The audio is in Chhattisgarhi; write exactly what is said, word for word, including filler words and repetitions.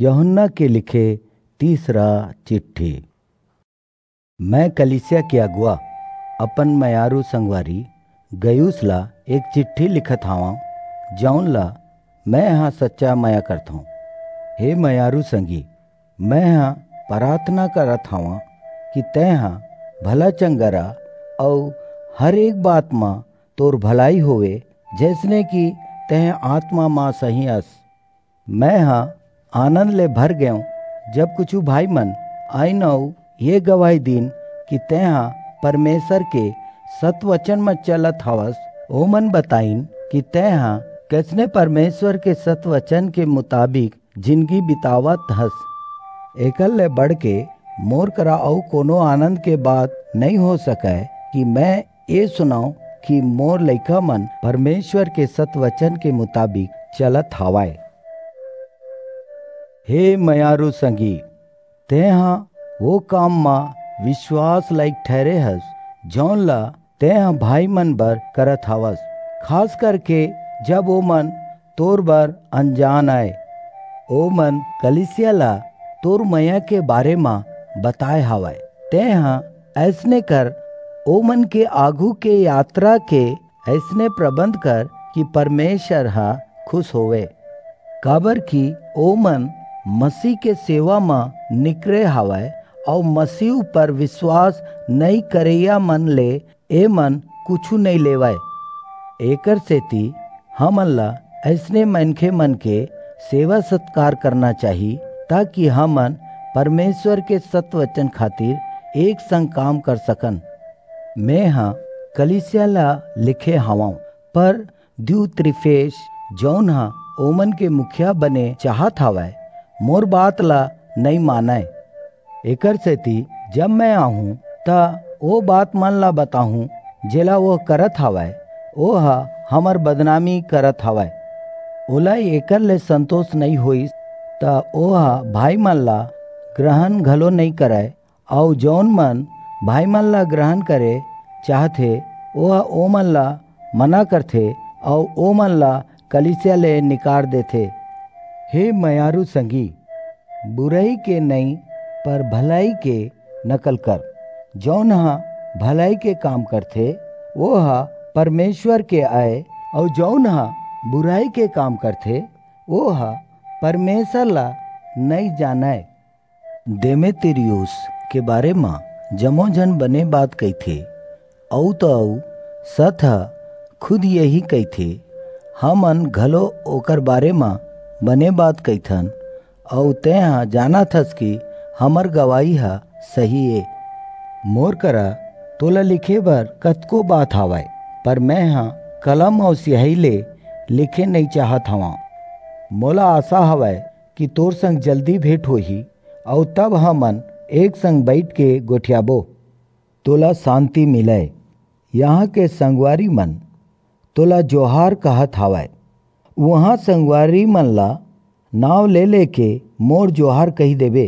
यूहन्ना के लिखे तीसरा चिट्ठी। मैं कलीसिया के अगुवा, अपन मयारू संगवारी गयुस ला एक चिट्ठी लिखत हावं, जौन ला मैं ह सच्चा मया करथौं। हे मयारू संगी, मैं ह प्रार्थना करत हावं कि तैं ह भला चंगा रह अऊ हर एक बात म तोर भलाई होवे, जैसने कि तैं आत्मा म सही अस। मैं ह आनंद ले भर गेंव, जब कुछू भाई मन आइन अऊ ये गवाही दीन कि तैं ह परमेसर के सतवचन म चलत हवस। ओमन बताइन कि तैं ह कइसने परमेसर के सतवचन के मुताबिक जिनगी बितावत हस। एकर ले बढ़के मोर करा अऊ कोनो आनंद के बात नइं हो सकय कि मैं ए सुनंव कि मोर लइका मन परमेसर के सतवचन के मुताबिक चलत हवंय। हे मयारू संगी, तैं ह ओ काम म बिसवास लाइक ठहिरे हस, जौन ला तैं ह भाई मन बर करत हवस, खास करके जब ओमन तोर बर अनजान अंय। ओमन कलीसिया ला तोर मया के बारे म बताय हवंय। तैं ह अइसने कर, ओमन के आघू के यातरा के अइसने परबंध कर कि परमेसर ह खुस होवय, काबरकि ओमन मसीह के सेवा म निकरे हवंय अऊ मसीह ऊपर बिसवास नइं करइया मन ले एमन कुछू नइं लेवंय। एकरसेति हमन ला अइसने मनखे मन के सेवा-सतकार करना चाही, ताकि हमन परमेसर के सतवचन खातिर एक संग काम कर सकन। मैं ह कलीसिया ला लिखे हवंव, पर दियुत्रिफेस, जौन ह ओमन के मुखिया बने चाहत हवय, मोर बात ला नइं मानय। एकरसेति जब मैं आहूं, त ओ बात मन ला बताहूं, जेला ओह करत हवय, ओह हमर बदनामी करत हवय। ओला एकर ले संतोस नइं होईस, त ओह भाई मन ला ग्रहण घलो नइं करय, अऊ जऊन मन भाई मन ला ग्रहण करे चाहथे, ओह ओमन ला मना करथे अऊ ओमन ला कलीसिया ले निकार देथे। हे मयारू संगी, बुरई के नइं, पर भलई के नकल कर। जऊन ह भलई के काम करथे, ओह परमेसर के अय, अऊ जऊन ह बुरई के काम करथे, ओह परमेसर ला नइं जानय। देमेत्रियुस के बारे म जम्मो झन बने बात कहिथे, अऊ त अऊ सत ह खुद यही कहिथे, हमन घलो ओकर बारे म बने बात कहिथन, अऊ तेंह जानत हस कि हमर गवाही ह सही ए। मोर करा तोला लिखे बर कतको बात हावय, पर मेंह कलम अऊ सियाही ले लिखे नइं चाहत हवंव। मोला आसा हवय कि तोर संग जल्दी भेंट होही, अऊ तब हमन एक संग बईठ के गोठियाबो। तोला सांति मिलय। इहां के संगवारी मन तोला जोहार कहत हावय। उहां संगवारी मन ला नांव ले लेके मोर जोहार कहि देबे।